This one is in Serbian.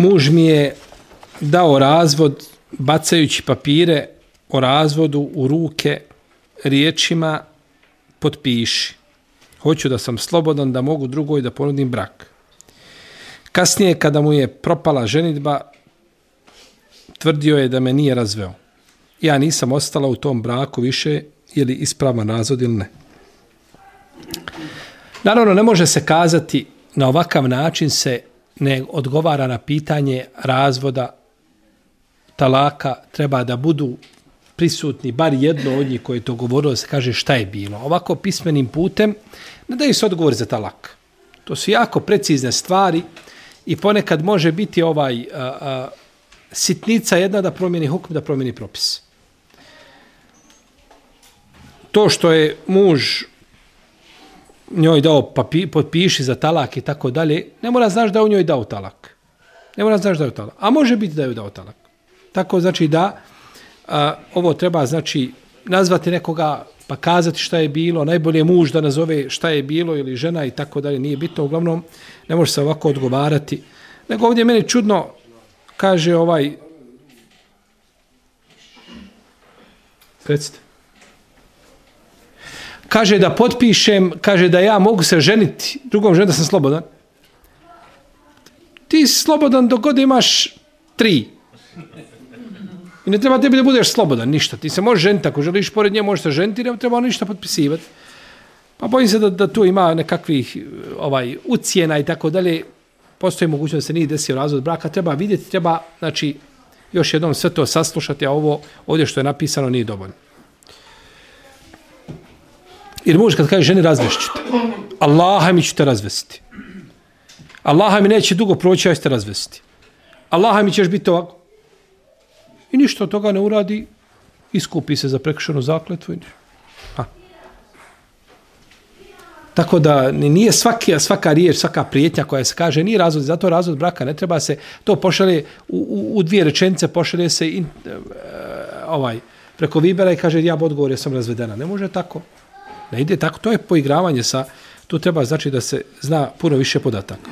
muž mi je dao razvod bacajući papire o razvodu u ruke riječima potpiši. Hoću da sam slobodan, da mogu drugoj da ponudim brak. Kasnije, kada mu je propala ženidba, tvrdio je da me nije razveo. Ja nisam ostala u tom braku više, je li ispravan razvod ili ne. Naravno, ne može se kazati na ovakav način se ne odgovara na pitanje razvoda, talaka, treba da budu prisutni, bar jedno od njih koje je to govorilo, da se kaže šta je bilo. Ovako pismenim putem ne daju se odgovor za talak. To su jako precizne stvari i ponekad može biti sitnica jedna da promijeni hukm, da promijeni propis. To što je muž njoj dao potpiši za talak i tako dalje, ne mora znaš da u njoj dao talak. Ne mora znaš da je talak. A može biti da je dao talak. Tako znači da ovo treba znači nazvati nekoga pa kazati šta je bilo, najbolje muž da nazove šta je bilo ili žena i tako dalje, nije bitno, uglavnom ne može se ovako odgovarati. Nego ovdje meni čudno kaže recite. Kaže da potpišem, kaže da ja mogu se ženiti drugom ženom da sam slobodan. Ti si slobodan dok god imaš 3. I ne treba tebi da budeš slobodan, ništa. Ti se možeš ženiti, ako želiš pored nje, možeš se ženiti, ne treba ništa potpisivati. Pa bojim se da tu ima nekakvih ucijena i tako dalje. Postoji mogućnost da se nije desio razvod braka. Treba vidjeti, treba, znači, još jednom sve to saslušati, a ovo ovdje što je napisano nije dovoljno. Jer muž kad kaže ženi razvešću te, Allaha mi ću te razvesti. Allaha mi neće dugo proći, ja ću te razvesti. Allaha mi ćeš biti ovako. I ništa od toga ne uradi, iskupi se za prekršenu zakletvu. Tako da nije svaka riječ, svaka prijetnja koja se kaže, nije razvod, zato razvod braka, ne treba se, to pošalje u 2 rečenice, pošalje se preko Vibera i kaže ja odgovor, ja sam razvedena. Ne može tako. Ne ide tako, to je poigravanje tu treba znači da se zna puno više podataka.